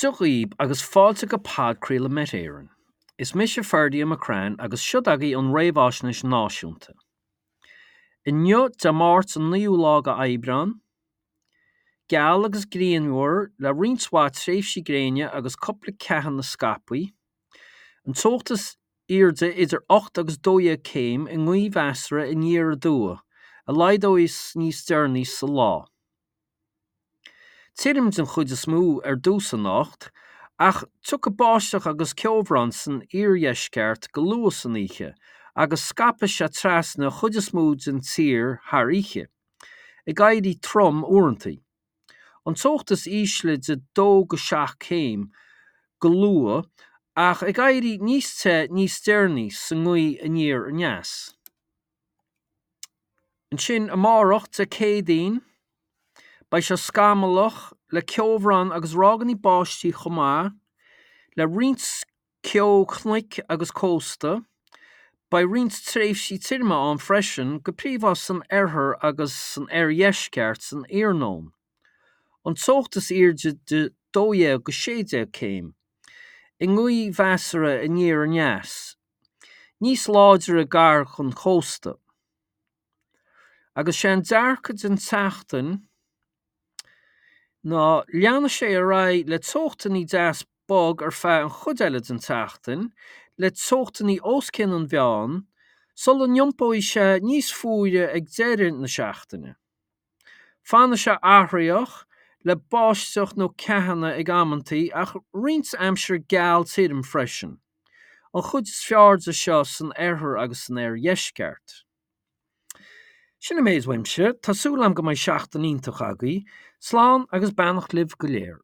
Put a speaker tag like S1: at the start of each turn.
S1: Dia dhaoib agus fáilte go podchraoladh Met Éireann. Is mise Ferdia McCrann agus siod agaibh an réamhaisnéis náisiúnta. Inniu, Dé Máirt an 9ú lá de Aibreán, geal agus grianmhar le roinnt mhaith tréimhsí gréine agus cúpla ceathanna scaipthe. An teocht is airde idir 8 agus 12 céim i ngaoth mheasartha aniar aduaidh, a laghdóidh níos deireanaí sa lá. Tirim den chuid is mó ar dtús anocht, ach tiocfaidh báisteach agus ceobhrán san iardheisceart go luath san oíche agus scaipfidh sé trasna an chuid is mó den tír thar oíche, ag éirí trom uaireanta. An teocht is ísle de 2-7 céim go luath ach ag éirí níos te níos deireanaí sa ngaoth aniar aneas. Ansin amárach, Dé Céadaoin, beidh sé scamallach le ceobhrán agus ráigeanna báistí chomh maith le roinnt ceo cnoic agus cósta. Beidh roinnt tréimhsí tirime ann freisin, go príomha san oirthear agus san oirdheisceart san iarnóin. An teocht is airde de 12-16 céim, i ngaoth mheasartha aniar aneas. Níos láidre gar don chósta. Agus sé an dearcadh den tseachtain ná leanfaidh sé ar aghaidh le teochtanna deas bog ar feadh an chuid eile den tseachtain, le teochtanna os cionn an mheáin, sula n-iompóidh sé níos fuaire ag deireadh na seachtaine. Fanfaidh sé athraitheach, le báisteach nó ceathanna ag amantaí ach roinnt aimsir geal tirim freisin, an chuid is fearr de seo san oirthear agus san oirdheisceart. Sin an méid uaimse, tá súil agam go mbeidh seachtain iontach agaibh. Slán agus beannacht libh go léir.